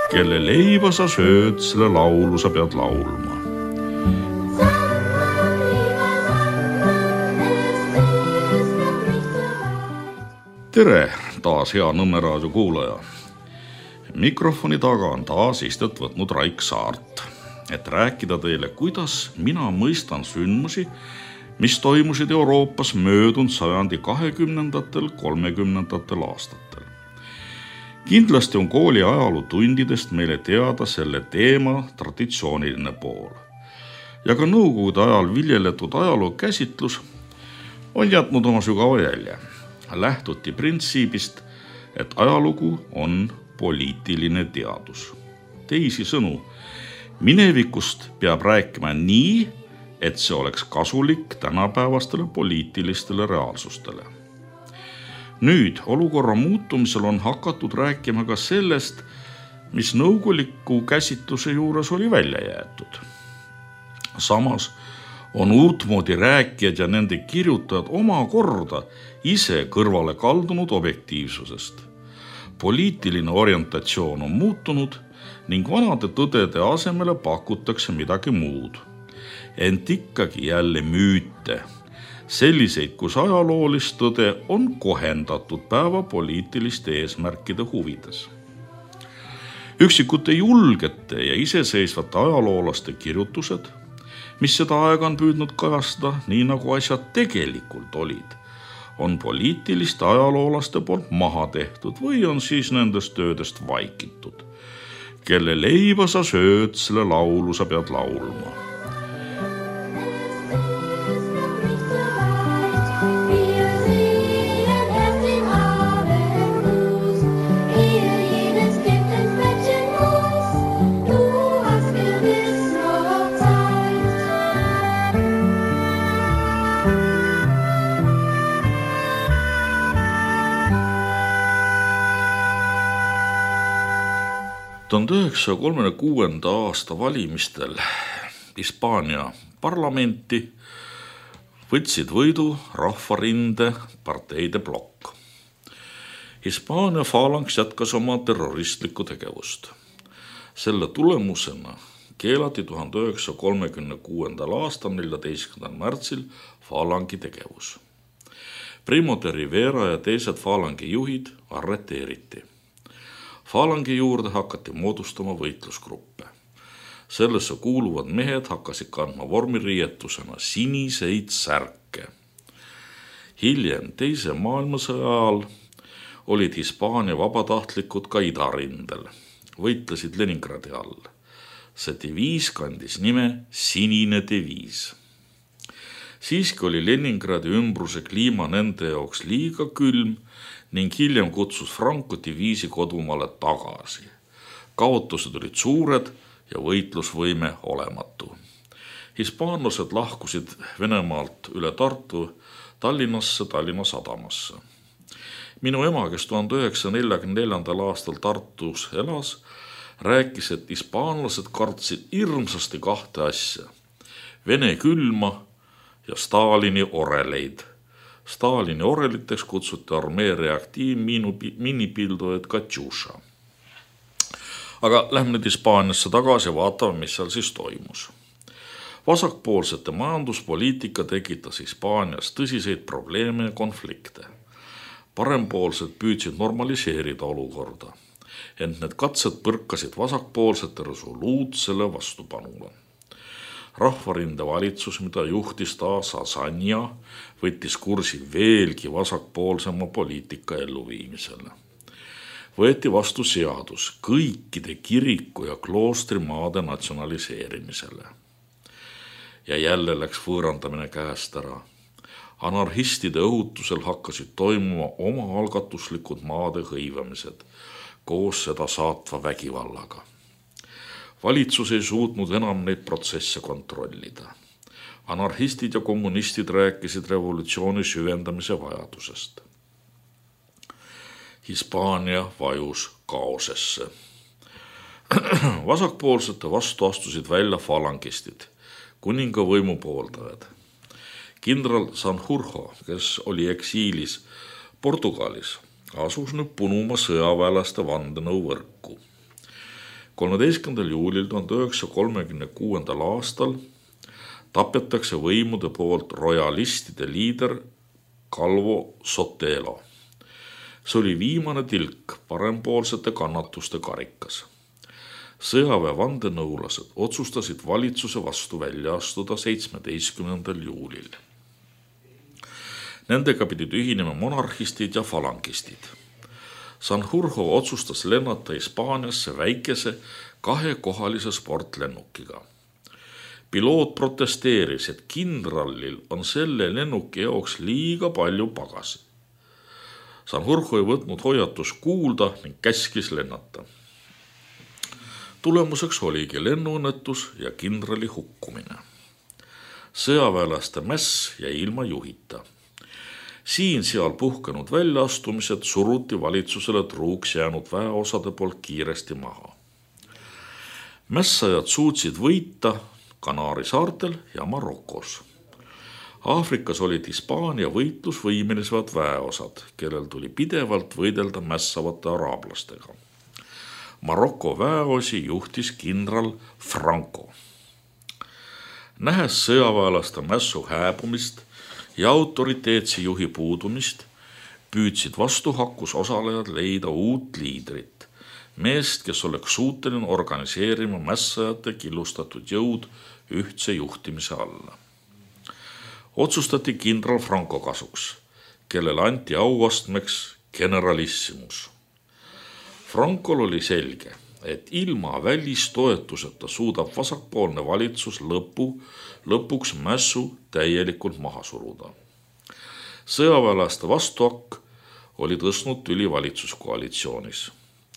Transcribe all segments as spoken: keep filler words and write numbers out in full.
Kelle leiba sa sööd, selle laulu sa pead laulma. Tere, taas hea Nõmme raadio kuulaja. Mikrofoni taga on taas istet võtnud Raik Saart, et rääkida teile, kuidas mina mõistan sündmusi, mis toimusid Euroopas möödunud sajandi kahekümnendatel, kolmekümnendatel aastatel. Kindlasti on kooli ajalootundidest meile teada selle teema traditsiooniline pool. Ja ka nõukogude ajal viljeletud ajaloo käsitlus on jätnud oma sügava jälje. Lähtuti printsiibist, et ajalugu on poliitiline teadus. Teisi sõnu, minevikust peab rääkima nii, et see oleks kasulik tänapäevastele poliitilistele reaalsustele. Nüüd olukorra muutumisel on hakatud rääkima ka sellest, mis nõukoguliku käsitluse juures oli välja jäetud. Samas on uutmoodi rääkijad ja nende kirjutajad oma korda ise kõrvale kaldunud objektiivsusest. Poliitiline orientatsioon on muutunud ning vanade tõdede asemele pakutakse midagi muud. Ent ikkagi jälle müüte, selliseid, kus ajaloolist tõde on kohendatud päeva poliitiliste eesmärkide huvides. Üksikute julgete ja iseseisvate ajaloolaste kirjutused, mis seda aega on püüdnud kajastada nii nagu asjad tegelikult olid, on poliitiliste ajaloolaste poolt maha tehtud või on siis nendest töödest vaikitud. Kelle leiba sa sööd, selle laulu sa pead laulma. tuhande üheksasaja kolmekümne kuuenda aasta valimistel Hispaania parlamenti võtsid võidu Rahvarinde parteide plokk. Hispaania falanks jätkas oma terroristlikku tegevust. Selle tulemusena keelati tuhande üheksasaja kolmekümne kuuendal aastal neljateistkümnendal märtsil falangi tegevus. Primo de Rivera ja teised falangi juhid arreteeriti. Falangi juurde hakati moodustama võitlusgruppe. Sellesse kuuluvad mehed hakkasid kandma vormiriietusena siniseid särke. Hiljem teise maailmasõja ajal olid Hispaania vabatahtlikud ka idarindel, võitlesid Leningradi all. See diviis kandis nime Sinine diviis. Siiski oli Leningradi ümbruse kliima nende jaoks liiga külm ning hiljem kutsus Franco diviisi kodumaale tagasi. Kaotused olid suured ja võitlusvõime olematu. Hispaanlased lahkusid Venemaalt üle Tartu Tallinnasse, Tallinna sadamasse. Minu ema, kes tuhande üheksasaja neljakümne neljandal aastal Tartus elas, rääkis, et hispaanlased kartsid hirmsasti kahte asja. Vene külma ja Stalini oreleid. Stalini oreliteks kutsuti armee reaktiiv minipildujaid Katjuša. Aga lähme nüüd Hispaaniasse tagasi ja vaatame, mis seal siis toimus. Vasakpoolsete majanduspoliitika tekitas Hispaanias tõsiseid probleeme ja konflikte. Parempoolsed püüdsid normaliseerida olukorda, ent need katsed põrkasid vasakpoolsete resoluutsele vastupanule. Rahvarinde valitsus, mida juhtis taas Asanja, võttis kursi veelgi vasakpoolsema poliitika elluviimisele. Võeti vastu seadus kõikide kiriku ja kloostrimaade natsionaliseerimisele. Ja jälle läks võõrandamine käest ära. Anarhistide õhutusel hakkasid toimuma oma algatuslikud maade hõivamised koos seda saatva vägivallaga. Valitsus ei suutnud enam neid protsesse kontrollida. Anarhistid ja kommunistid rääkisid revolutsiooni süvendamise vajadusest. Hispaania vajus kaosesse. Vasakpoolsete vastu astusid välja falangistid, kuninga võimu pooldajad. Kindral Sanjurjo, kes oli eksiilis Portugalis, asus nüüd punuma sõjaväelaste vandenõu võrku. kolmeteistkümnendal juulil tuhande üheksasaja kolmekümne kuuendal aastal tapetakse võimude poolt rojalistide liider Calvo Sotelo. See oli viimane tilk parempoolsete kannatuste karikas. Sõjaväe vandenõulased otsustasid valitsuse vastu välja astuda seitsmeteistkümnendal juulil. Nendega pidid ühinema monarhistid ja falangistid. Sanjurjo otsustas lennata Hispaaniasse väikese kahekohalise sportlennukiga. Piloot protesteeris, et kindralil on selle lennuki jaoks liiga palju pagasi. Sanjurjo ei võtnud hoiatus kuulda ning käskis lennata. Tulemuseks oligi lennuõnnetus ja kindrali hukkumine. Sõjaväelaste mäss jäi ilma juhita. Siin-seal puhkenud väljaastumised suruti valitsusele truuks jäänud väeosade poolt kiiresti maha. Mässajad suutsid võita Kanaari saartel ja Marokos. Aafrikas olid Hispaania võitlusvõimelised väeosad, kellel tuli pidevalt võidelda mässavate araablastega. Maroko väeosi juhtis kindral Franco. Nähes sõjaväelaste mässu hääbumist ja autoriteetse juhi puudumist, püüdsid vastuhakkus osalejad leida uut liidrit, meest, kes oleks suuteline organiseerima mässajate killustatud jõud ühtse juhtimise alla. Otsustati kindral Franco kasuks, kellele anti auastmeks generalissimus. Frankol oli selge, et ilma välistoetuseta suudab vasakpoolne valitsus lõpu, lõpuks mässu täielikult maha suruda. Sõjaväelaste vastuhakk oli tõstnud tüli valitsuskoalitsioonis.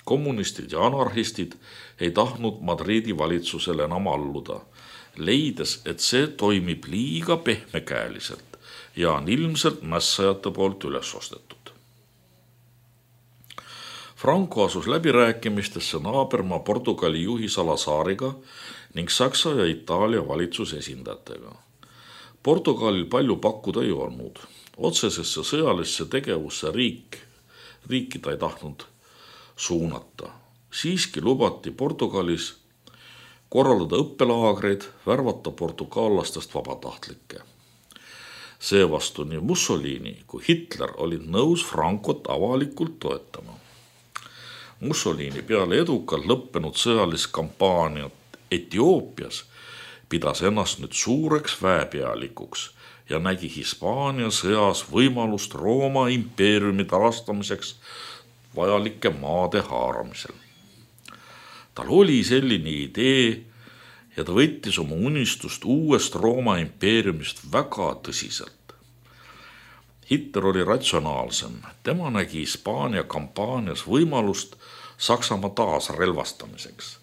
Kommunistid ja anarhistid ei tahtnud Madridi valitsusele enam alluda, leides, et see toimib liiga pehmekäeliselt ja on ilmselt mässajate poolt üles ostetud. Franco asus läbirääkimistesse naabermaa Portugali juhi Salazariga ning Saksa ja Itaalia valitsuse esindajatega. Portugalil palju pakkuda ei olnud. Otsesesse sõjalisse tegevusse riik, riiki ta ei tahtnud suunata. Siiski lubati Portugalis korraldada õppelaagreid, värvata portugaallastest vabatahtlikke. Seevastu nii Mussolini kui Hitler olid nõus Francot avalikult toetama. Mussolini peale edukalt lõppenud sõjalist kampaaniat Etioopias pidas ennast nüüd suureks väepealikuks ja nägi Hispaania sõjas võimalust Rooma impeeriumi taastamiseks vajalike maade haaramisel. Tal oli selline idee ja ta võttis oma unistust uuest Rooma impeeriumist väga tõsiselt. Hitler oli ratsionaalsem. Tema nägi Hispaania kampaanias võimalust Saksamaa taas relvastamiseks,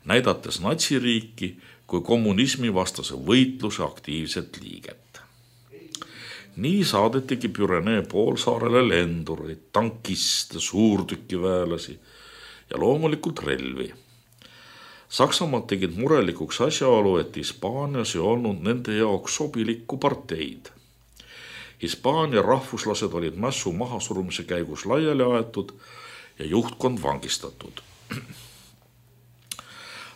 näidates natsiriiki kui kommunismi vastase võitluse aktiivset liiget. Nii saadetigi Pürenee poolsaarele lendureid, tankiste, suurtükiväelasi ja loomulikult relvi. Saksamaad tegid murelikuks asjaolu, et Hispaanias ei olnud nende jaoks sobilikku parteid. Hispaania rahvuslased olid mässu mahasurumise käigus laiali aetud ja juhtkond vangistatud.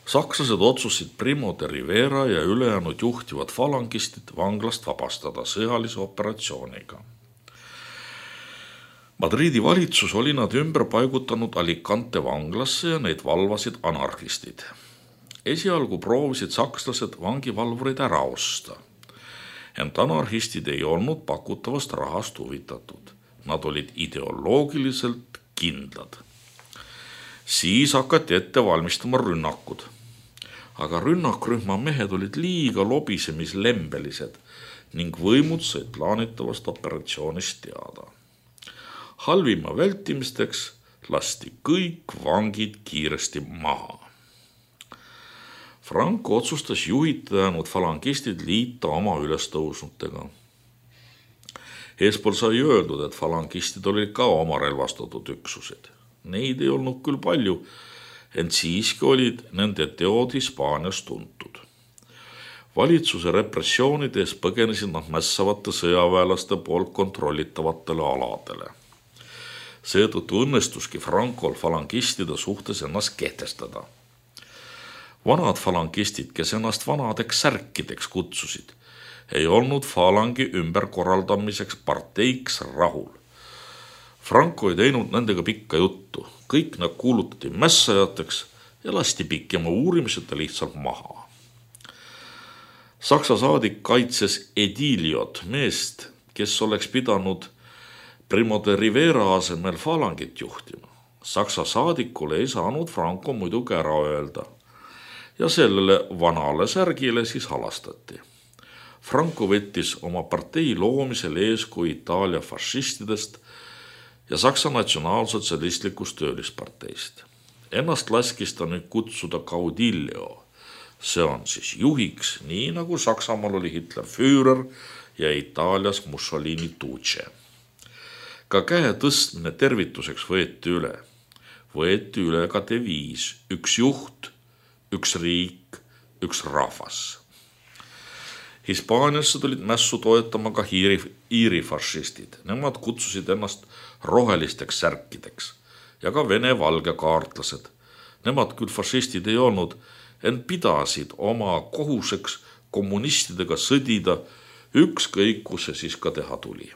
Sakslased otsusid Primo de Rivera ja ülejäänud juhtivad falangistid vanglast vabastada sõjalise operatsiooniga. Madridi valitsus oli nad ümber paigutanud Alicante vanglasse ja neid valvasid anarhistid. Esialgu proovisid sakslased vangivalvurid ära osta. Ent anarhistid ei olnud pakutavast rahast huvitatud. Nad olid ideoloogiliselt kindlad. Siis hakati ette valmistama rünnakud. Aga rünnakrühma mehed olid liiga lobisemislembelised ning võimud said plaanitavast operatsioonist teada. Halvima vältimisteks lasti kõik vangid kiiresti maha. Franco otsustas juhitanud falangistid liita oma ülestõusnutega. Eespool sai öeldud, et falangistid olid ka oma relvastatud üksused. Neid ei olnud küll palju, ent siiski olid nende teod Hispaanias tuntud. Valitsuse repressioonides põgenesid nad mässavate sõjaväelaste poolt kontrollitavatele aladele. Seetõttu õnnestuski Francol falangistide suhtes ennast kehtestada. Vanad falangistid, kes ennast vanadeks särkideks kutsusid, ei olnud falangi ümberkorraldamiseks parteiks rahul. Franco ei teinud nendega pikka juttu, kõik nad kuulutati mässajateks ja lasti pikema uurimiseta lihtsalt maha. Saksa saadik kaitses Ediliot, meest, kes oleks pidanud Primo de Rivera asemel falangit juhtima. Saksa saadikule ei saanud Franco muidugi ära öelda ja sellele vanale särgile siis halastati. Franco võttis oma partei loomisel eeskuju Itaalia fašistidest ja Saksa natsionaalsotsialistlikust töölisparteist. Ennast laskis ta nüüd kutsuda Caudillo. See on siis juhiks, nii nagu Saksamaal oli Hitler Führer ja Itaalias Mussolini Duce. Ka käe tõstmine tervituseks võeti üle. Võeti üle ka deviis, üks juht, üks riik, üks rahvas. Hispaaniasse tulid mässu toetama ka Iiri, Iiri fašistid. Nemad kutsusid ennast rohelisteks särkideks ja ka vene valge kaartlased. Nemad küll fašistid ei olnud, ent pidasid oma kohuseks kommunistidega sõdida, ükskõik kus see siis ka teha tuli.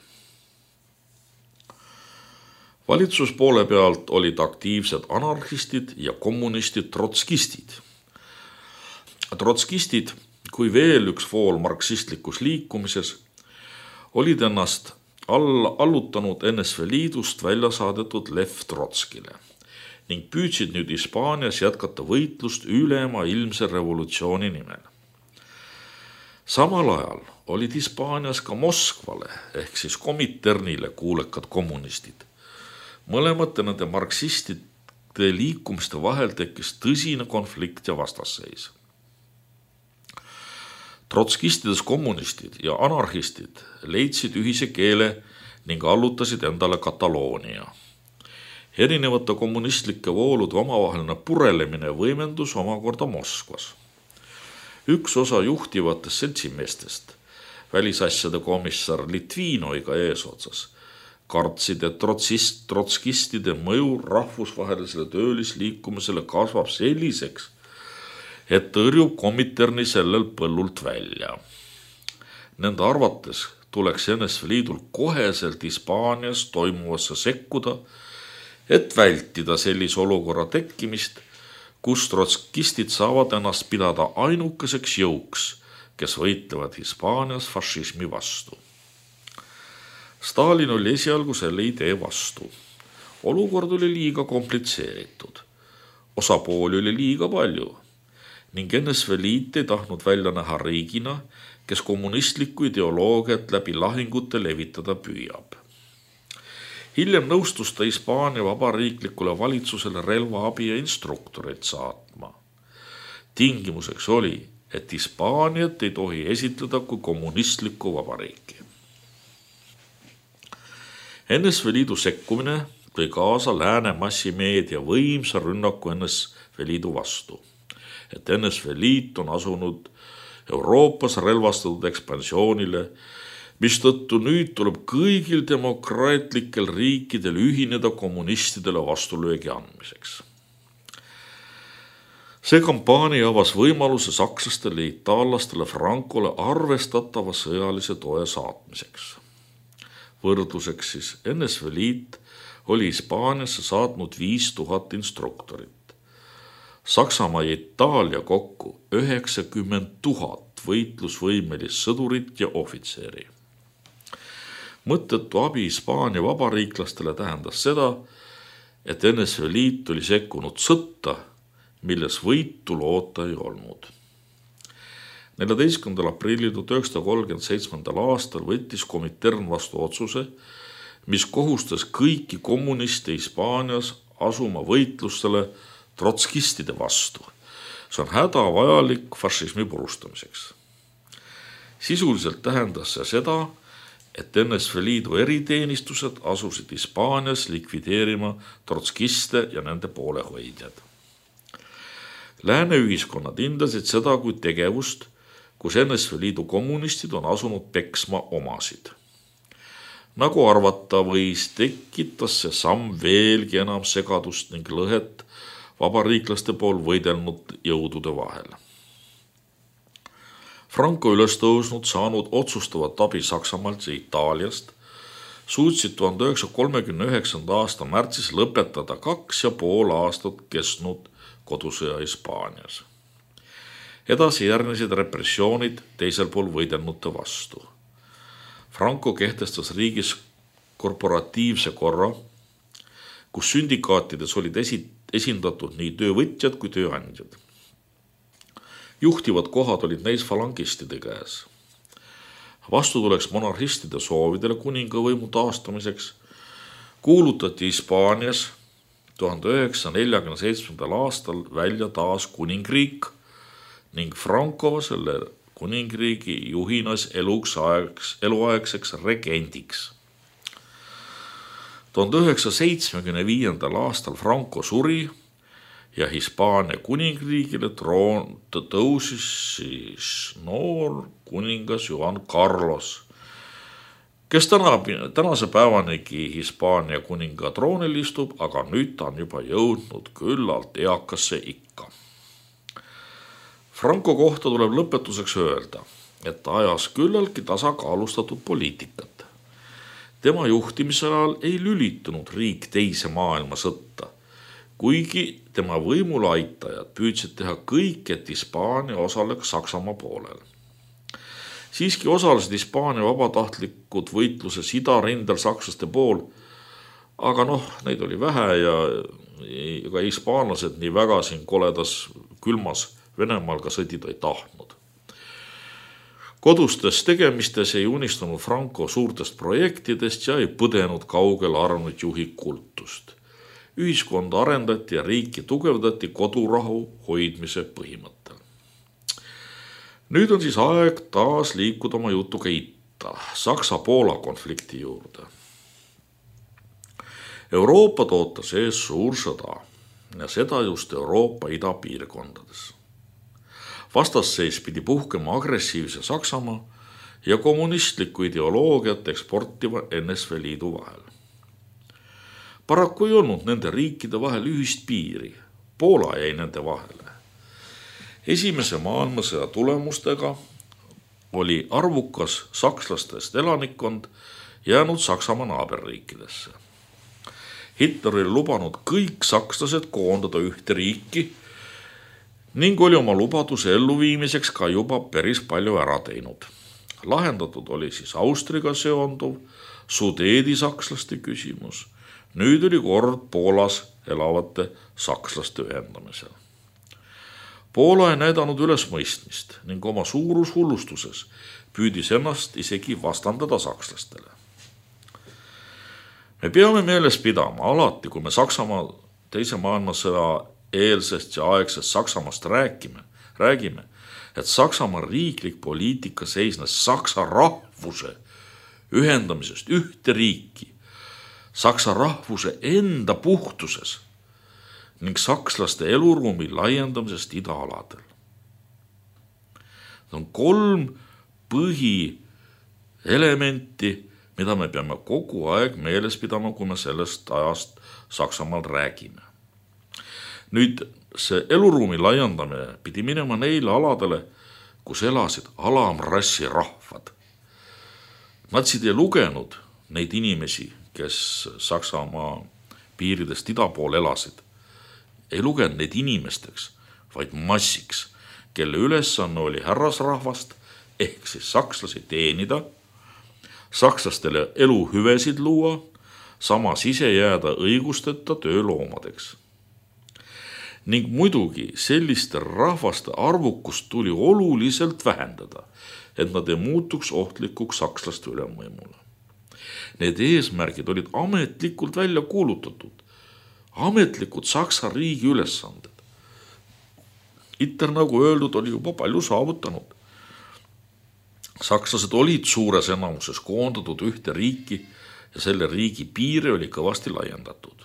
Valitsuspoole pealt olid aktiivsed anarhistid ja kommunistid trotskistid. Trotskistid, kui veel üks fool marksistlikus liikumises, olid ennast all allutanud N S V Liidust välja saadetud Lev Trotskile ning püüdsid nüüd Hispaanias jätkata võitlust ülema ilmse revolutsiooni nimel. Samal ajal olid Hispaanias ka Moskvale ehk siis Kominternile kuulekad kommunistid. Mõlemate nende marksistide liikumiste vahel tekkis tõsine konflikt ja vastasseis. Trotskistides kommunistid ja anarhistid leidsid ühise keele ning allutasid endale Kataloonia. Erinevate kommunistlike voolude omavaheline purelemine võimendus omakorda Moskvas. Üks osa juhtivatest seltsimeestest, välisasjade komissar Litvinoiga eesotsas, kartsid, et trotsist, trotskistide mõju rahvusvahelisele töölisliikumisele kasvab selliseks, et tõrjub Kominterni sellel põllult välja. Nende arvates tuleks N S V Liidul koheselt Hispaanias toimuvasse sekkuda, et vältida sellise olukorra tekkimist, kus trotskistid saavad ennast pidada ainukeseks jõuks, kes võitlevad Hispaanias fašismi vastu. Stalin oli esialgu selle idee vastu. Olukord oli liiga komplitseeritud. Osapooli oli liiga palju ning N S V Liit ei tahtnud välja näha riigina, kes kommunistlikku ideoloogiat läbi lahingute levitada püüab. Hiljem nõustus ta Hispaania vabariiklikule valitsusele relvaabi ja instruktoreid saatma. Tingimuseks oli, et Hispaaniat ei tohi esitleda kui kommunistlikku vabariiki. N S V Liidu sekkumine tõi kaasa lääne massimeedia võimsa rünnaku N S V Liidu vastu, et N S V Liit on asunud Euroopas relvastatud ekspansioonile, mistõttu nüüd tuleb kõigil demokraatlikel riikidel ühineda kommunistidele vastulöögi andmiseks. See kampaania avas võimaluse sakslastele ja itaallastele Francole arvestatava sõjalise toe saatmiseks. Võrdluseks siis N S V Liit oli Hispaaniasse saatnud viis tuhat instruktorit. Saksamaa ja Itaalia kokku üheksakümmend tuhat võitlusvõimelist sõdurit ja ohvitseri. Mõttetu abi Hispaania vabariiklastele tähendas seda, et N S V Liit oli sekkunud sõtta, milles võitu loota ei olnud. neljateistkümnendal aprillil tuhat üheksasada kolmkümmend seitse aastal võttis Komintern vastu otsuse, mis kohustas kõiki kommuniste Hispaanias asuma võitlustele trotskistide vastu. See on hädavajalik fašismi purustamiseks. Sisuliselt tähendas see seda, et N S V Liidu eriteenistused asusid Hispaanias likvideerima trotskiste ja nende poolehoidjad. Lääne ühiskonnad hindasid seda kui tegevust, kus N S V Liidu kommunistid on asunud peksma omasid. Nagu arvata võis, tekitas see samm veelgi enam segadust ning lõhet vabariiklaste pool võidelnud jõudude vahel. Franco üles tõusnud saanud otsustavat abi Saksamaalt ja Itaaliast suutsid tuhande üheksasaja kolmekümne üheksanda aasta märtsis lõpetada kaks ja pool aastat kestnud kodusõja Hispaanias. Edasi järgnesid repressioonid teisel pool võidelnute vastu. Franco kehtestas riigis korporatiivse korra, kus syndikaatides olid esi, esindatud nii töövõtjad kui tööandjad. Juhtivad kohad olid neis falangistide käes. Vastutuleks monarhistide soovidele kuningavõimu taastamiseks kuulutati Hispaanias tuhande üheksasaja neljakümne seitsmendal aastal välja taas kuningriik ning Franco selle kuningriigi juhinas eluks aegs, eluaegseks regendiks. tuhande üheksasaja seitsmekümne viiendal aastal Franco suri ja Hispaania kuningriigile troon tõusis siis noor kuningas Juan Carlos, kes täna, tänase päevanigi Hispaania kuninga troonil istub, aga nüüd ta on juba jõudnud küllalt eakasse ikka. Franco kohta tuleb lõpetuseks öelda, et ta ajas küllaltki tasakaalustatud poliitikat. Tema juhtimise ajal ei lülitunud riik teise maailmasõtta, kuigi tema võimule aitajad püüdsid teha kõik, et Hispaania osaleks Saksamaa poolel. Siiski osalesid Hispaania vabatahtlikud võitluses idarindel sakslaste pool, aga noh, neid oli vähe ja ega hispaanlased nii väga siin koledas külmas Venemaal ka sõdida ei tahtnud. Kodustes tegemistes ei unistanud Franco suurtest projektidest ja ei põdenud kaugel arvanud juhi kultust. Ühiskonda arendati ja riiki tugevdati kodurahu hoidmise põhimõttel. Nüüd on siis aeg taas liikuda oma jutuga itta, Saksa-Poola konflikti juurde. Euroopa ootas ees suur sõda ja seda just Euroopa idapiirkondades. Vastasseis pidi puhkema agressiivse Saksamaa ja kommunistlikku ideoloogiat eksportiva N S V Liidu vahel. Paraku ei olnud nende riikide vahel ühist piiri, Poola jäi nende vahele. Esimese maailmasõja tulemustega oli arvukas sakslastest elanikkond jäänud Saksamaa naaberriikidesse. Hitler oli lubanud kõik sakslased koondada ühte riiki ning oli oma lubaduse elluviimiseks ka juba päris palju ära teinud. Lahendatud oli siis Austriga seonduv, Sudeedi sakslaste küsimus. Nüüd oli kord Poolas elavate sakslaste ühendamisel. Poola ei näidanud üles mõistmist ning oma suurushullustuses püüdis ennast isegi vastandada sakslastele. Me peame meeles pidama alati, kui me Saksamaa teise maailmasõja eelsest ja aegsest Saksamaast räägime, räägime, et Saksamaa riiklik poliitika seisnes saksa rahvuse ühendamisest ühte riiki, saksa rahvuse enda puhtuses ning sakslaste eluruumi laiendamisest idaaladel. See on kolm põhielementi, mida me peame kogu aeg meeles pidama, kui me sellest ajast Saksamaal räägime. Nüüd see eluruumi laiendamine pidi minema neile aladele, kus elasid alamrassi rahvad. Natsid ei lugenud neid inimesi, kes Saksamaa piiridest ida pool elasid. Ei lugenud neid inimesteks, vaid massiks, kelle ülesanne oli härrasrahvast ehk siis sakslasi teenida, sakslastele eluhüvesid luua, samas ise jääda õigusteta tööloomadeks. Ning muidugi selliste rahvaste arvukust tuli oluliselt vähendada, et nad ei muutuks ohtlikuks sakslaste ülemvõimule. Need eesmärgid olid ametlikult välja kuulutatud, ametlikud Saksa riigi ülesanded. Hitler, nagu öeldud, oli juba palju saavutanud. Sakslased olid suures enamuses koondatud ühte riiki ja selle riigi piire oli kõvasti laiendatud.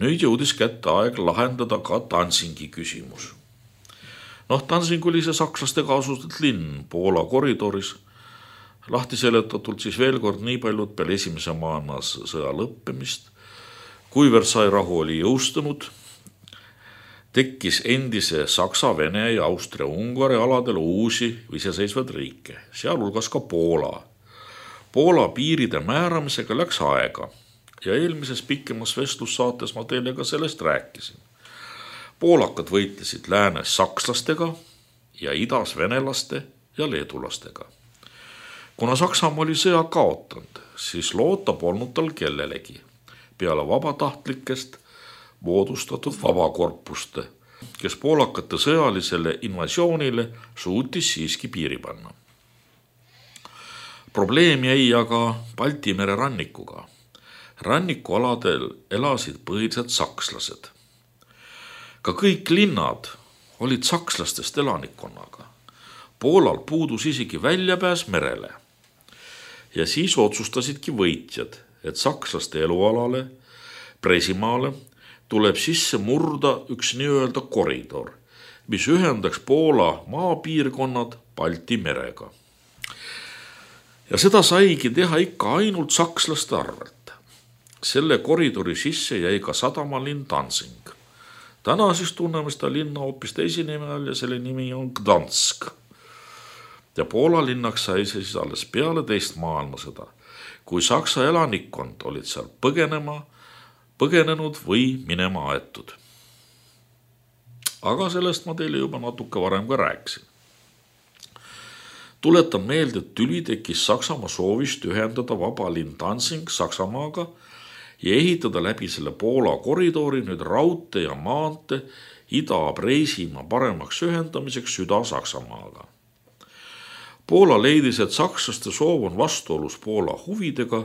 Nüüd jõudis kätte aeg lahendada ka Danzingi küsimus. Noh, Danzing oli see sakslaste kaasuselt linn Poola koridoris. Lahti seletatult siis veel kord nii paljud peale esimese maailmasõja lõppemist, kui Versailles rahu oli jõustunud tekkis endise Saksa, Vene ja Austria, Ungari aladel uusi iseseisvaid riike, sealhulgas ka Poola. Poola piiride määramisega läks aega ja eelmises pikemas vestlussaates ma teile ka sellest rääkisin. Poolakad võitlesid läänes sakslastega ja idas venelaste ja leedulastega. Kuna Saksamaa oli sõja kaotanud, siis loota polnud tal kellelegi peale vabatahtlikest moodustatud vabakorpuste, kes poolakate sõjalisele invasioonile suutis siiski piiri panna. Probleem jäi aga Balti mere rannikuga. Rannikualadel elasid põhiliselt sakslased. Ka kõik linnad olid sakslastest elanikkonnaga. Poolal puudus isegi väljapääs merele. Ja siis otsustasidki võitjad, et sakslaste elualale, Presimaale, tuleb sisse murda üks nii-öelda koridor, mis ühendaks Poola maapiirkonnad Balti merega. Ja seda saigi teha ikka ainult sakslaste arvelt. Selle koridori sisse jäi ka sadamalinn Danzig. Täna siis tunneme seda linna hoopis teise nime all ja selle nimi on Gdansk. Ja Poola linnaks sai siis alles peale teist maailmasõda, kui Saksa elanikkond olid seal põgenema, põgenenud või minema aetud. Aga sellest ma teile juba natuke varem ka rääkisin. Tuletan meelde, et tüli tekkis Saksamaa soovist ühendada vaba linn Danzig Saksamaaga ja ehitada läbi selle Poola koridori nüüd raudtee ja maante Ida-Preisimaa paremaks ühendamiseks Süda-Saksamaaga. Poola leidis, et sakslaste soov on vastuolus Poola huvidega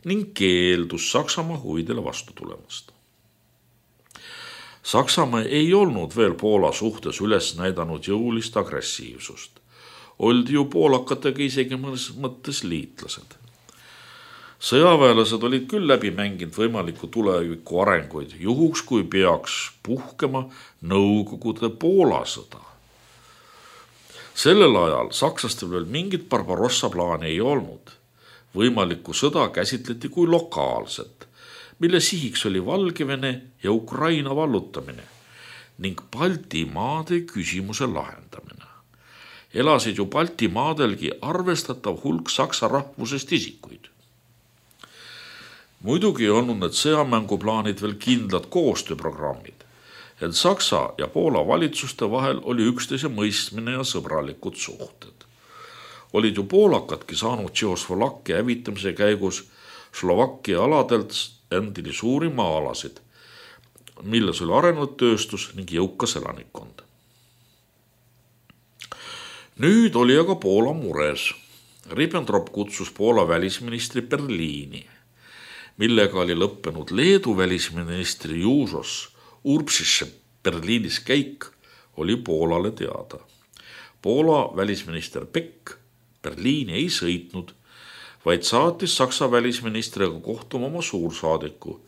ning keeldus Saksamaa huvidele vastu tulemast. Saksamaa ei olnud veel Poola suhtes üles näidanud jõulist agressiivsust. Oldi ju poolakatega isegi mõnes mõttes liitlased. Sõjaväelased olid küll läbi mänginud võimaliku tuleviku arenguid, juhuks kui peaks puhkema Nõukogude Poola sõda. Sellel ajal sakslastel veel mingit Barbarossa plaani ei olnud. Võimalikku sõda käsitleti kui lokaalset, mille sihiks oli Valgevene ja Ukraina vallutamine ning Balti maade küsimuse lahendamine. Elasid ju Balti maadelgi arvestatav hulk saksa rahvusest isikuid. Muidugi ei olnud need sõjamänguplaanid veel kindlad koostööprogrammid, et Saksa ja Poola valitsuste vahel oli üksteise mõistmine ja sõbralikud suhted. Olid ju poolakadki saanud Tšehhoslovakkia hävitamise käigus Slovakkia aladelt endini suuri maa-alasid, milles oli arenenud tööstus ning jõukas elanikkond. Nüüd oli aga Poola mures. Ribbentrop kutsus Poola välisministri Berliini, millega oli lõppenud Leedu välisministri Juusos Urbšiše Berliinis käik oli Poolale teada. Poola välisminister Beck Berliini ei sõitnud, vaid saatis Saksa välisministriga kohtuma oma suursaadiku,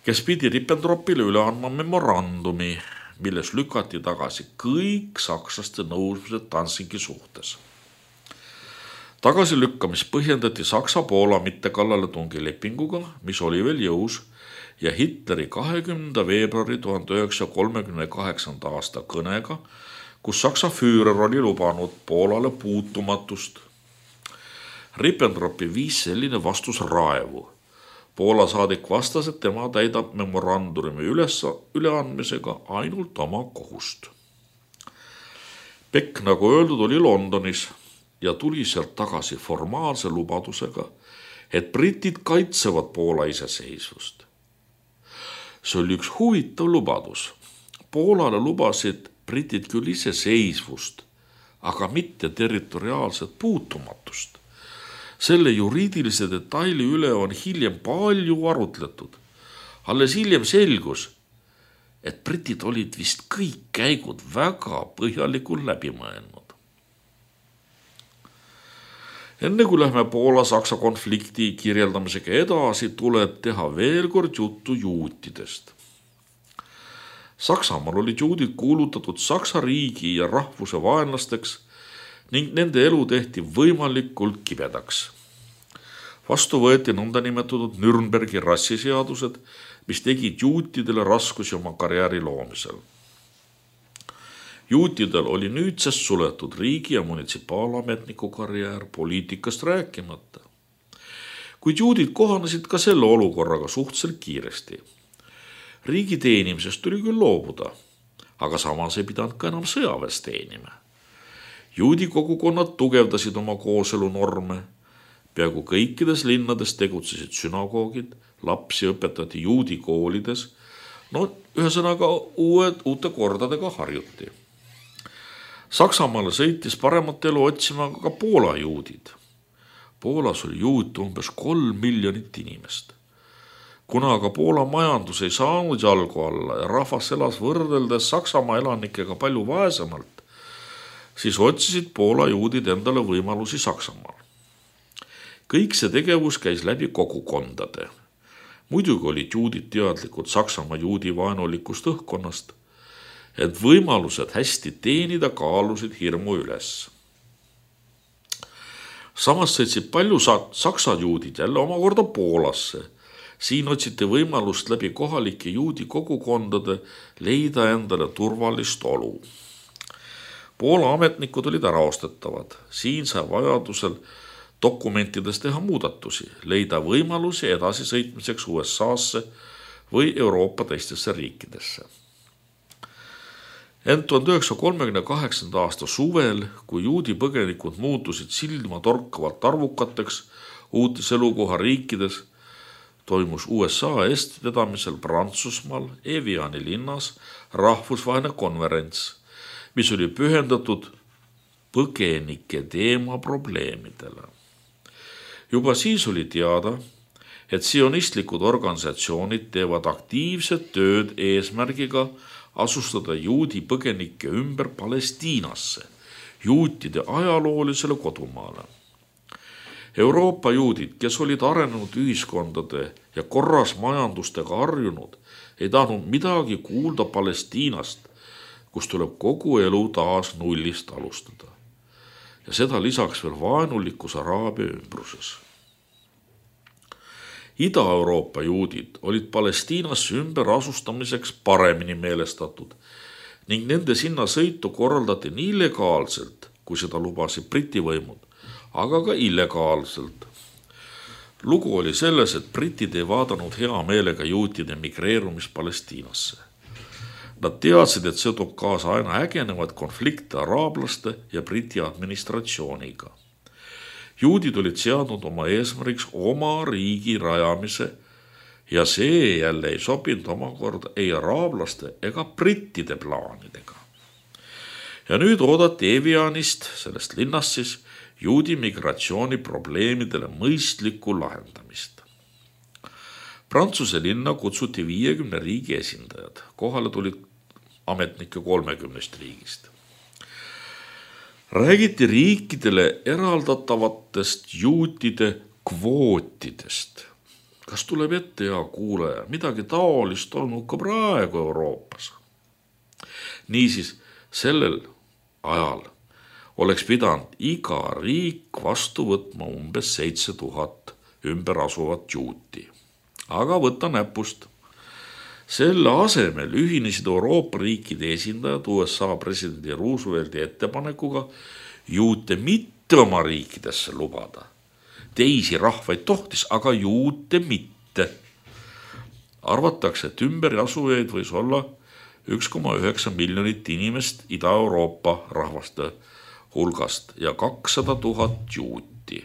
kes pidi Ribbentropile üle andma memorandumi, milles lükati tagasi kõik sakslaste nõudmised Danzigi suhtes. Tagasilükkamist põhjendati Saksa-Poola mittekallaletungi lepinguga, mis oli veel jõus, ja Hitleri kahekümnenda veebruari tuhande üheksasaja kolmekümne kaheksanda aasta kõnega, kus Saksa Führer oli lubanud Poolale puutumatust. Ribbentropi viis selline vastus raevu. Poola saadik vastas, et tema täidab memorandumi üles, üleandmisega ainult oma kohust. Beck, nagu öeldud, oli Londonis ja tuli sealt tagasi formaalse lubadusega, et britid kaitsevad Poola iseseisvust. See oli üks huvitav lubadus. Poolale lubasid britid küll iseseisvust, aga mitte territoriaalset puutumatust. Selle juriidilise detaili üle on hiljem palju arutletud. Alles hiljem selgus, et britid olid vist kõik käigud väga põhjalikult läbi mõelnud. Enne kui lähme Poola-Saksa konflikti kirjeldamisega edasi, tuleb teha veel kord juttu juutidest. Saksamaal olid juudid kuulutatud Saksa riigi ja rahvuse vaenlasteks ning nende elu tehti võimalikult kibedaks. Vastu võeti nõnda nimetatud Nürnbergi rassiseadused, mis tegid juutidele raskusi oma karjääri loomisel. Juutidel oli nüüdsest suletud riigi- ja munitsipalametniku karjäär, poliitikast rääkimata. Kuid juudid kohanesid ka selle olukorraga suhteliselt kiiresti. Riigi teenimisest tuli küll loobuda, aga samas ei pidanud ka enam sõjaväes teenima. Juudi kogukonnad tugevdasid oma kooselunorme. Peaaegu kõikides linnades tegutsesid sünagoogid, lapsi õpetati juudi koolides. No ühesõnaga uued, uute kordadega harjuti. Saksamaale sõitis paremat elu otsima ka Poola juudid. Poolas oli juute umbes kolm miljonit inimest. Kuna aga Poola majandus ei saanud jalgu alla ja rahvas elas võrreldes Saksamaa elanikega palju vaesemalt, siis otsisid Poola juudid endale võimalusi Saksamaal. Kõik see tegevus käis läbi kogukondade. Muidugi olid juudid teadlikud Saksamaa juudi vaenulikust õhkkonnast, et võimalused hästi teenida kaalusid hirmu üles. Samas sõitsid palju saksa juudid jälle omakorda Poolasse. Siin otsiti võimalust läbi kohalike juudi kogukondade leida endale turvalist olu. Poola ametnikud olid äraostetavad. Siin sai vajadusel dokumentides teha muudatusi, leida võimalusi edasi sõitmiseks U S A-sse või Euroopa teistesse riikidesse. Ent tuhande üheksasaja kolmekümne kaheksanda aasta suvel, kui juudi põgenikud muutusid silma torkavalt arvukateks uutes elukoha riikides, toimus U S A eestvedamisel Prantsusmaal Eviani linnas rahvusvaheline konverents, mis oli pühendatud põgenike teema probleemidele. Juba siis oli teada, et sionistlikud organisatsioonid teevad aktiivset tööd eesmärgiga asustada juudi põgenikke ümber Palestiinasse, juutide ajaloolisele kodumaale. Euroopa juudid, kes olid arenenud ühiskondade ja korras majandustega harjunud, ei tahtnud midagi kuulda Palestiinast, kus tuleb kogu elu taas nullist alustada. Ja seda lisaks veel vaenulikus Araabia ümbruses. Ida-Euroopa juudid olid Palestiinasse ümber asustamiseks paremini meelestatud ning nende sinna sõitu korraldati nii legaalselt, kui seda lubasid Briti võimud, aga ka illegaalselt. Lugu oli selles, et britid ei vaadanud hea meelega juutide migreerumist Palestiinasse. Nad teadsid, et see toob kaasa aina ägenevad konflikte araablaste ja Briti administratsiooniga. Juudid olid seadnud oma eesmärgiks oma riigi rajamise ja see jälle ei sobinud omakorda ei araablaste ega brittide plaanidega. Ja nüüd oodati Evianist, sellest linnast siis, juudi migratsiooni probleemidele mõistlikku lahendamist. Prantsuse linna kutsuti viiekümne riigi esindajad, kohale tulid ametnike kolmekümnest riigist. Räägiti riikidele eraldatavatest juutide kvootidest. Kas tuleb ette, hea kuulaja, midagi taolist olnud ka praegu Euroopas? Niisiis, sellel ajal oleks pidanud iga riik vastu võtma umbes seitse tuhat ümber asuvat juuti. Aga võtta näpust. Selle asemel ühinesid Euroopa riikide esindajad U S A presidendi Roosevelti ettepanekuga juute mitte oma riikidesse lubada. Teisi rahvaid tohtis, aga juute mitte. Arvatakse, et ümber asujaid võis olla üks koma üheksa miljonit inimest Ida-Euroopa rahvaste hulgast ja kakssada tuhat juuti.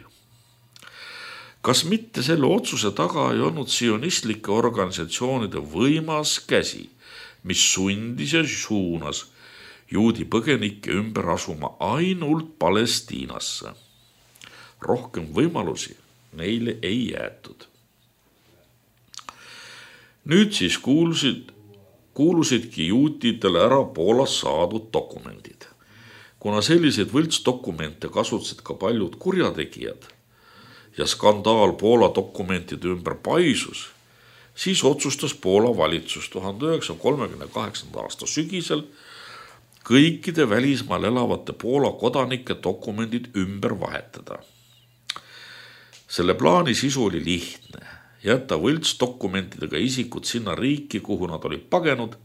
Kas mitte selle otsuse taga ei olnud sionistlike organisatsioonide võimas käsi, mis sundis ja suunas juudi põgenikke ümber asuma ainult Palestiinasse? Rohkem võimalusi neile ei jäetud. Nüüd siis kuulusid, kuulusidki juutidele ära Poolas saadud dokumendid. Kuna selliseid võltsdokumente kasutasid ka paljud kurjategijad, ja skandaal Poola dokumentide ümber paisus, siis otsustas Poola valitsus tuhande üheksasaja kolmekümne kaheksanda aasta sügisel kõikide välismaal elavate Poola kodanike dokumendid ümber vahetada. Selle plaani sisu oli lihtne, jätta võltsdokumentidega isikud sinna riiki, kuhu nad olid pagenud,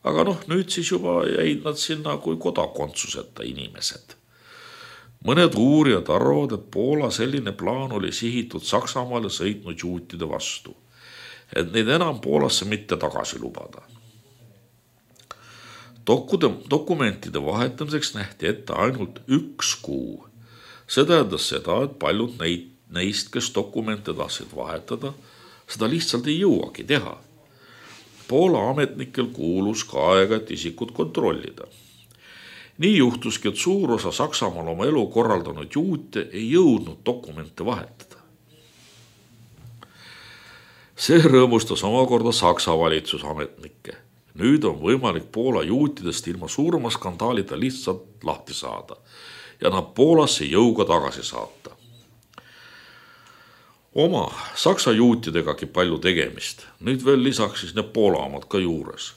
aga noh, nüüd siis juba jäid nad sinna kui kodakondsuseta inimesed. Mõned uurijad arvavad, et Poola selline plaan oli sihitud Saksamaale sõitnud juutide vastu, et neid enam Poolasse mitte tagasi lubada. Dokude, dokumentide vahetamiseks nähti ette ainult üks kuu. See tähendas seda, et paljud neid, neist, kes dokumente tahtsid vahetada, seda lihtsalt ei jõuagi teha. Poola ametnikel kuulus ka aega, et isikut kontrollida. Nii juhtuski, et suur osa Saksamaal oma elu korraldanud juute ei jõudnud dokumente vahetada. See rõõmustas omakorda Saksa valitsusametnikke. Nüüd on võimalik Poola juutidest ilma suurema skandaalida lihtsalt lahti saada ja nad Poolasse jõuga tagasi saata. Oma Saksa juutidegagi palju tegemist, nüüd veel lisaks siis need Poola omad ka juures.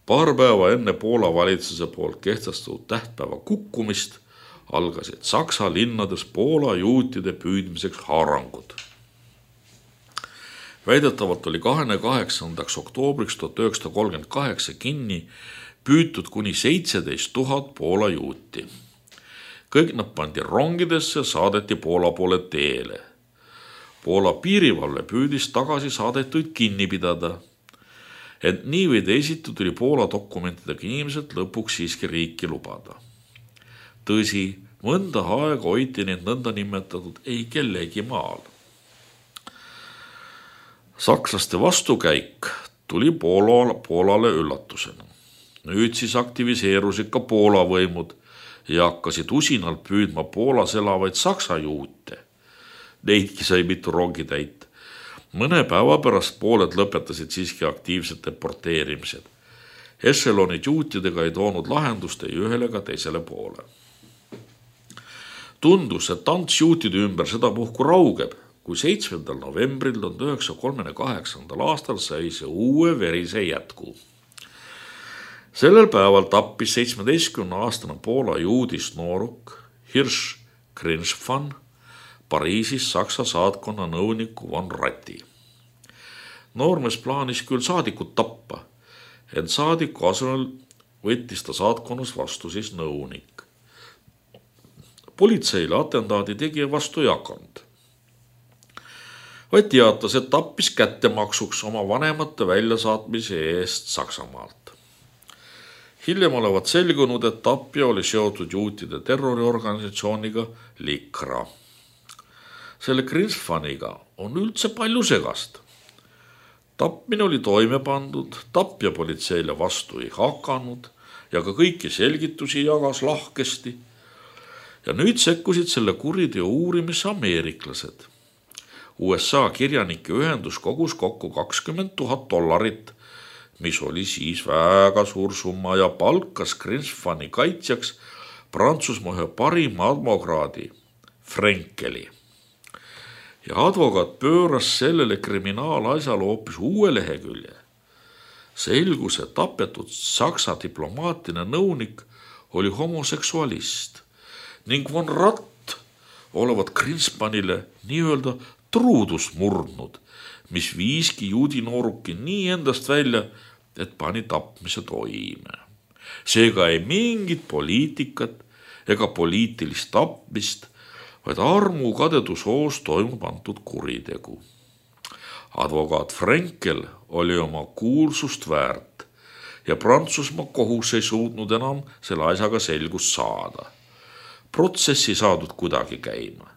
Paar päeva enne Poola valitsuse poolt kehtestatud tähtpäeva kukkumist algasid Saksa linnades Poola juutide püüdmiseks haarangud. Väidetavalt oli kahekümne kaheksandaks oktoobriks tuhat üheksasada kolmkümmend kaheksa kinni püütud kuni seitseteist tuhat Poola juuti. Kõik nad pandi rongidesse, saadeti Poola poole teele. Poola piirivalve püüdis tagasi saadetuid kinni pidada. Et nii või teisiti tuli Poola dokumentidega inimesed lõpuks siiski riiki lubada. Tõsi, mõnda aega hoiti neid nõnda nimetatud ei kellegi maal. Sakslaste vastukäik tuli Poola, Poolale üllatusena. Nüüd siis aktiviseerusid ka Poola võimud ja hakkasid usinalt püüdma Poolas elavaid saksa juute. Neidki sai mitu rongi täita. Mõne päeva pärast pooled lõpetasid siiski aktiivsed deporteerimised. Echelonid juutidega ei toonud lahendust ei ühele ega teisele poole. Tundus, et tants juutide ümber seda puhku raugeb, kui seitsmendal novembril tuhat üheksasada kolmekümne kaheksandal aastal sai see uue verise jätku. Sellel päeval tappis seitsmeteistkümne aastane Poola juudist nooruk Hirsch Grinschfan Pariisis Saksa saatkonna nõuniku Von Ratti. Noormees plaanis küll saadikut tappa, ent saadiku asemel võttis ta saatkonnas vastu siis nõunik. Politseile atentaadi tegija vastu ei hakanud. Vaid teatas, et tappis kättemaksuks oma vanemate väljasaatmise eest Saksamaalt. Hiljem olevat selgunud, et tapja oli seotud juutide terroriorganisatsiooniga Likra. Selle Grinschfaniga on üldse palju segast. Tappmine oli toime pandud, tapja politseile vastu ei hakanud ja ka kõiki selgitusi jagas lahkesti. Ja nüüd sekkusid selle kuriteo uurimisse ameeriklased. U S A kirjanike ühendus kogus kokku kakskümmend tuhat dollarit, mis oli siis väga suur summa ja palkas Grinschfani kaitsjaks Prantsusmaa ühe parima advokaadi Frenkeli. Ja advokaat pööras sellele kriminaalasjale hoopis uue lehekülje. Selgus, et tapetud Saksa diplomaatiline nõunik oli homoseksualist ning Von Ratt olevat Grinschfanile nii-öelda truudust murdnud, mis viiski juudi nooruki nii endast välja, et pani tapmise toime. Seega ei mingit poliitikat ega poliitilist tapmist, vaid armu kadedusoos toimub antud kuritegu. Advokaat Frenkel oli oma kuulsust väärt ja Prantsusmaa kohus ei suutnud enam selle asjaga selgust saada. Protsessi saadud kuidagi käima.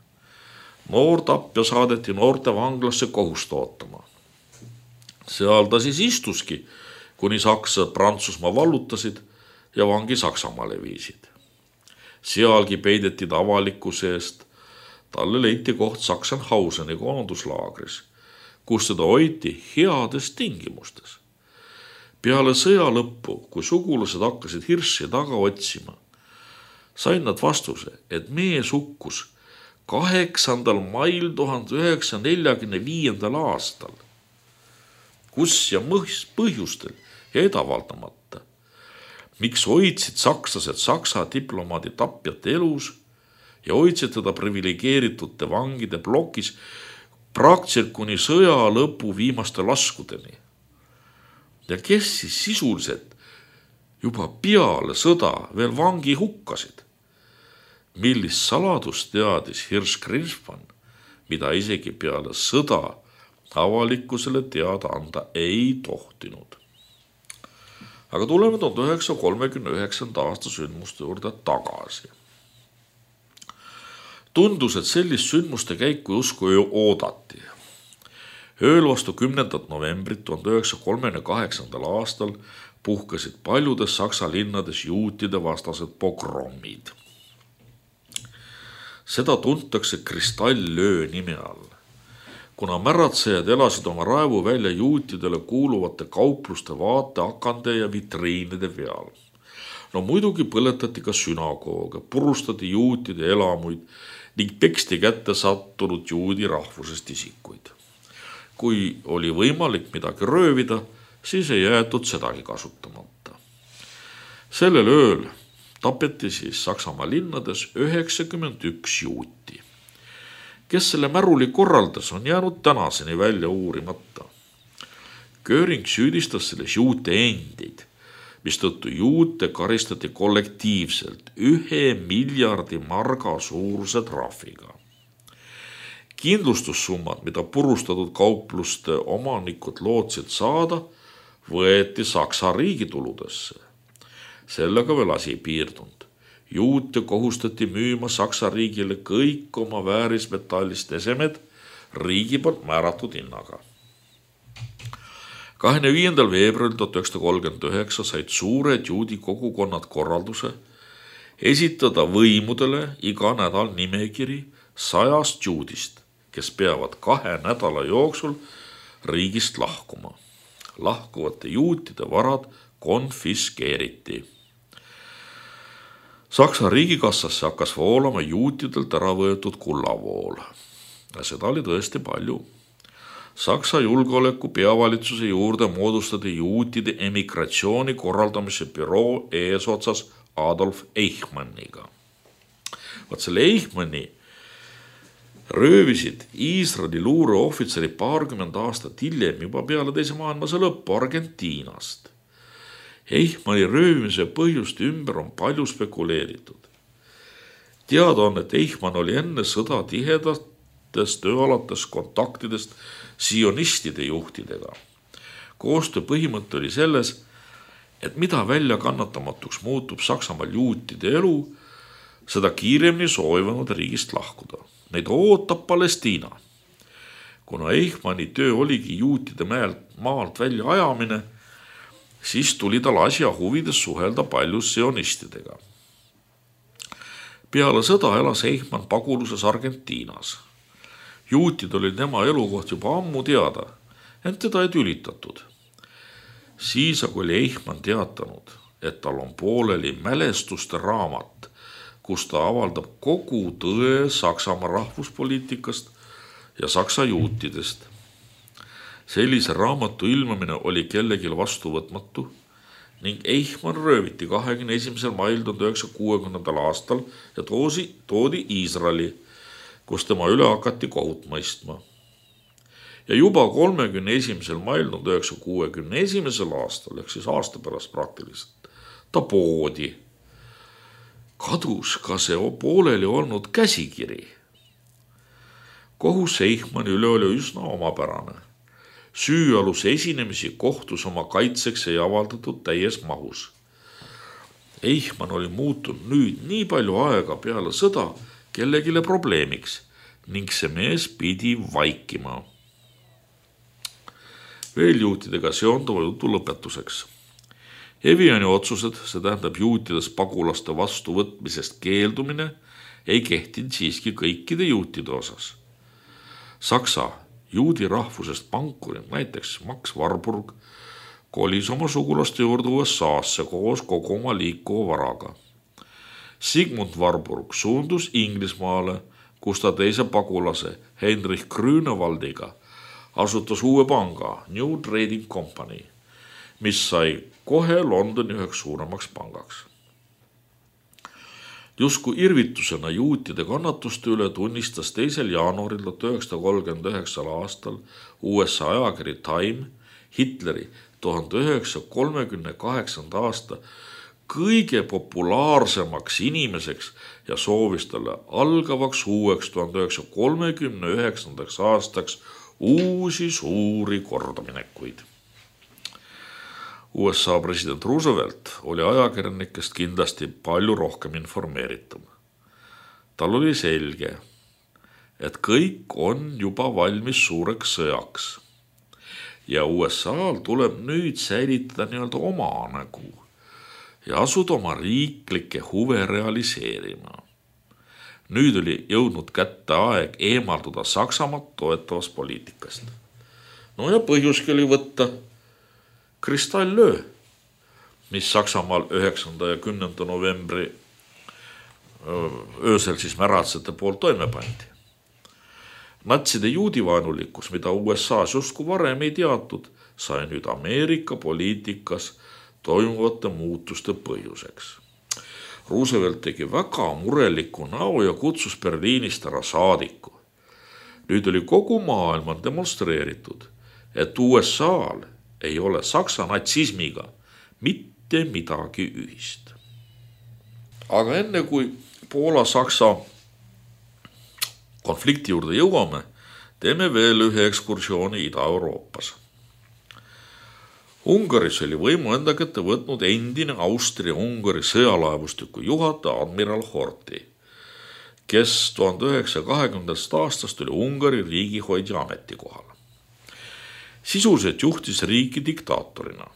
Noor tapja saadeti noorte vanglasse kohust ootama. Seal ta siis istuski, kuni sakslased Prantsusmaa vallutasid ja vangi Saksamaale viisid. Sealgi peideti ta avalikkuse eest. Talle leiti koht Sachsenhauseni koonduslaagris, kus teda hoiti heades tingimustes. Peale sõja lõppu, kui sugulased hakkasid Hirschi taga otsima, sain nad vastuse, et mees hukkus kaheksandal mail tuhande üheksasaja neljakümne viiendal aastal. Kus ja põhjustel jäi avaldamata. Miks hoidsid sakslased Saksa diplomaadi tapjat elus ja hoidsid teda privilegeeritute vangide plokis praktiliselt kuni sõja lõpu viimaste laskudeni. Ja kes siis sisuliselt juba peale sõda veel vangi hukkasid. Millist saladust teadis Hirsch-Grinspan, mida isegi peale sõda avalikkusele teada anda ei tohtinud. Aga tuleme tuhande üheksasaja kolmekümne üheksanda aasta sündmuste juurde tagasi. Tundus, et sellist sündmuste käiku usku ju oodati. Ööl vastu kümnendat novembrit tuhande üheksasaja kolmekümne kaheksandal aastal puhkasid paljudes Saksa linnades juutide vastased pogrommid. Seda tuntakse kristallöö nime all. Kuna märatsejad elasid oma raevu välja juutidele kuuluvate kaupluste vaateakande ja vitriinide peal. No muidugi põletati ka sünagooge, purustati juutide elamuid ning peksti kätte sattunud juudi rahvusest isikuid. Kui oli võimalik midagi röövida, siis ei jäetud sedagi kasutamata. Sellel ööl tapeti siis Saksamaa linnades üheksakümmend üks juuti. Kes selle märuli korraldas, on jäänud tänaseni välja uurimata. Göring süüdistas selles juute endid, mistõttu juute karistati kollektiivselt ühe miljardi marga suuruse trahviga. Kindlustussummad, mida purustatud kaupluste omanikud lootsid saada, võeti Saksa riigituludesse. Sellega veel asi piirdunud. Juute kohustati müüma Saksa riigile kõik oma väärismetallist esemed riigi poolt määratud hinnaga. kahekümne viiendal veebruaril tuhat üheksasada kolmkümmend üheksa said suured juudi kogukonnad korralduse esitada võimudele iga nädal nimekiri sajast juudist, kes peavad kahe nädala jooksul riigist lahkuma. Lahkuvate juutide varad konfiskeeriti. Saksa riigikassasse hakkas voolama juutidelt ära võetud kullavool. Ja seda oli tõesti palju. Saksa julgeoleku peavalitsuse juurde moodustati juutide emigratsiooni korraldamise büroo eesotsas Adolf Eichmanniga. Vaat selle Eichmanni röövisid Iisraeli luureohvitseri paarkümmend aastat hiljem juba peale teise maailmasõja lõppu Argentiinast. Eichmanni röövimise põhjuste ümber on palju spekuleeritud. Teada on, et Eichmann oli enne sõda tihedatest tööalates kontaktidest sionistide juhtidega. Koostöö põhimõte oli selles, et mida välja kannatamatuks muutub Saksamaal juutide elu, seda kiiremini soovivad riigist lahkuda. Neid ootab Palestiina. Kuna Eichmanni töö oligi juutide maalt välja ajamine, siis tuli tal asja huvides suhelda palju sionistidega. Peale sõda elas Eichmann paguluses Argentiinas. Juutid olid tema elukoht juba ammu teada, ent teda ei tülitatud. Siis aga oli Eichmann teatanud, et tal on pooleli mälestuste raamat, kus ta avaldab kogu tõe Saksamaa rahvuspoliitikast ja Saksa juutidest. Sellise raamatu ilmamine oli kellelgi vastuvõtmatu ning Eichmann rööviti kahekümne esimesel mail tuhande üheksasaja kuuekümnendal aastal ja toosi, toodi Iisraeli, kus tema üle hakati kohut mõistma. Ja juba kolmekümne esimesel mail tuhande üheksasaja kuuekümne esimesel aastal, ehk siis aasta pärast praktiliselt, ta poodi. Kadus ka see pooleli olnud käsikiri. Kohus Eichmanni üle oli üsna omapärane. Süüaluse esinemisi kohtus oma kaitseks ei avaldatud täies mahus. Eichmann oli muutunud nüüd nii palju aega peale sõda kellegile probleemiks ning see mees pidi vaikima. Veel juutidega seonduva jutu lõpetuseks. Eviani otsused, see tähendab juutides pagulaste vastuvõtmisest keeldumine, ei kehtinud siiski kõikide juutide osas. Saksa juudi rahvusest pankurid, näiteks Max Warburg, kolis oma sugulaste juurde U S A-sse koos kogu oma liikuva varaga. Sigmund Warburg suundus Inglismaale, kus ta teise pagulase Heinrich Grünewaldiga asutas uue panga New Trading Company, mis sai kohe Londoni üheks suuremaks pangaks. Jusku irvitusena juutide kannatuste üle tunnistas teisel jaanuaril tuhat üheksasada kolmkümmend üheksa aastal U S A ajakiri Time Hitleri tuhande üheksasaja kolmekümne kaheksanda aasta kõige populaarsemaks inimeseks ja soovis talle algavaks uueks tuhande üheksasaja kolmekümne üheksandaks aastaks uusi suuri kordaminekuid. U S A president Roosevelt oli ajakirjanikest kindlasti palju rohkem informeeritum. Tal oli selge, et kõik on juba valmis suureks sõjaks ja U S A-l tuleb nüüd säilitada nii-öelda oma nägu ja asuda oma riiklikke huve realiseerima. Nüüd oli jõudnud kätte aeg eemalduda Saksamaad toetavast poliitikast. No ja põhjuski oli võtta kristallöö, mis Saksamaal üheksanda ja kümnenda novembri öösel siis märatsete poolt toime pandi. Natside juudivaenulikkus, mida U S A-s justkui varem ei teatud, sai nüüd Ameerika poliitikas toimuvate muutuste põhjuseks. Roosevelt tegi väga mureliku näo ja kutsus Berliinist ära saadiku. Nüüd oli kogu maailma demonstreeritud, et U S A-l ei ole Saksa natsismiga mitte midagi ühist. Aga enne kui Poola-Saksa konflikti juurde jõuame, teeme veel ühe ekskursiooni Ida-Euroopas. Ungaris oli võimu enda kätte võtnud endine Austria-Ungari sõjalaevustiku juhataja admiral Horthy, kes tuhande üheksasaja kahekümnendast aastast oli Ungari riigihoidja ametikohal. Sisuliselt juhtis riiki diktaatorina.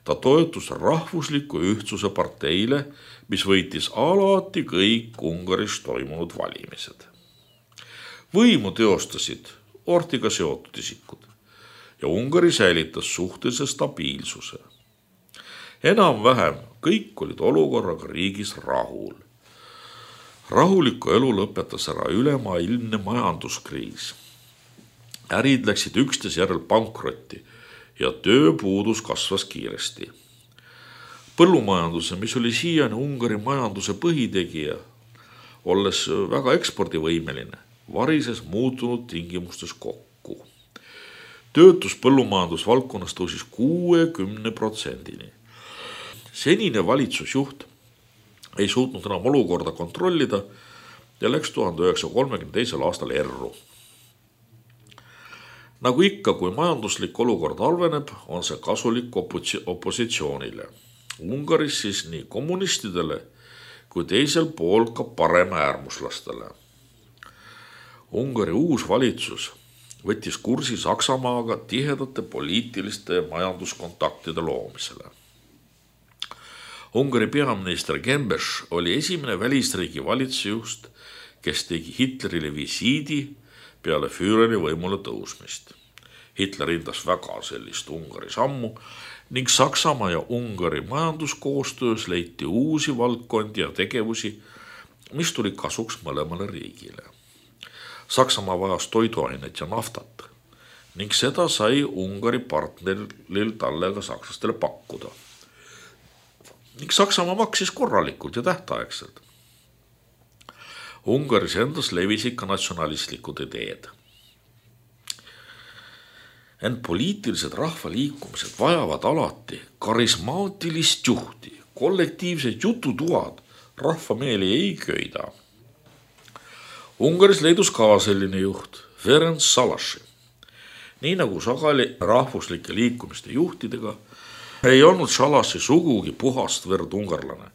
Ta toetus rahvusliku ühtsuse parteile, mis võitis alati kõik Ungaris toimunud valimised. Võimu teostasid Horthyga seotud isikud ja Ungari säilitas suhtelise stabiilsuse. Enam-vähem kõik olid olukorraga riigis rahul. Rahulikku elu lõpetas ära ülemaailmne majanduskriis. Ärid läksid üksteise järel pankrotti ja tööpuudus kasvas kiiresti. Põllumajanduse, mis oli siiani Ungari majanduse põhitegija, olles väga ekspordivõimeline, varises muutunud tingimustes kokku. Töötus põllumajandusvaldkonnas tõusis kuuekümne protsendini. Senine valitsusjuht ei suutnud enam olukorda kontrollida ja läks tuhande üheksasaja kolmekümne teisel aastal erru. Nagu ikka, kui majanduslik olukord halveneb, on see kasulik opositsioonile. Ungaris siis nii kommunistidele kui teisel pool ka parema äärmuslastele. Ungari uus valitsus võttis kursi Saksamaaga tihedate poliitiliste ja majanduskontaktide loomisele. Ungari peaminister Gembes oli esimene välisriigi valitsusjuht, kes tegi Hitlerile visiidi peale Führeri võimule tõusmist. Hitler hindas väga sellist Ungari sammu ning Saksamaa ja Ungari majanduskoostöös leiti uusi valdkondi ja tegevusi, mis tuli kasuks mõlemale riigile. Saksamaa vajas toiduainet ja naftat ning seda sai Ungari partneril talle ka sakslastele pakkuda. Ning Saksamaa maksis korralikult ja tähtaegselt. Ungaris endas levisid ka natsionalistlikud ideed. Ent poliitilised rahvaliikumised vajavad alati karismaatilist juhti, kollektiivsed jututuad rahva meeli ei köida. Ungaris leidus ka selline juht, Ferenc Szalasi. Nii nagu sageli rahvuslike liikumiste juhtidega, ei olnud Szalasi sugugi puhast verd ungarlane,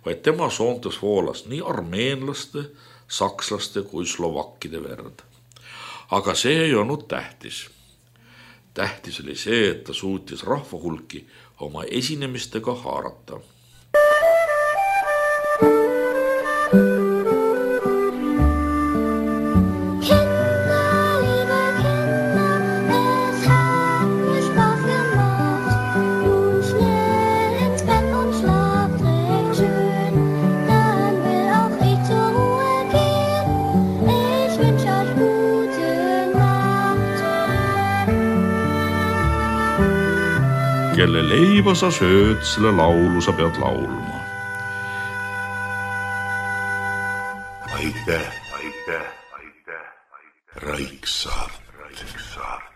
vaid tema soontes voolas nii armeenlaste, sakslaste kui slovakkide verd. Aga see ei olnud tähtis. Tähtis oli see, et ta suutis rahvahulki oma esinemistega haarata. Kelle leiba sa sööd, selle laulu sa pead laulma. Aitäh, aitäh, aitäh, aitäh. Raiksaart. Raiksaart.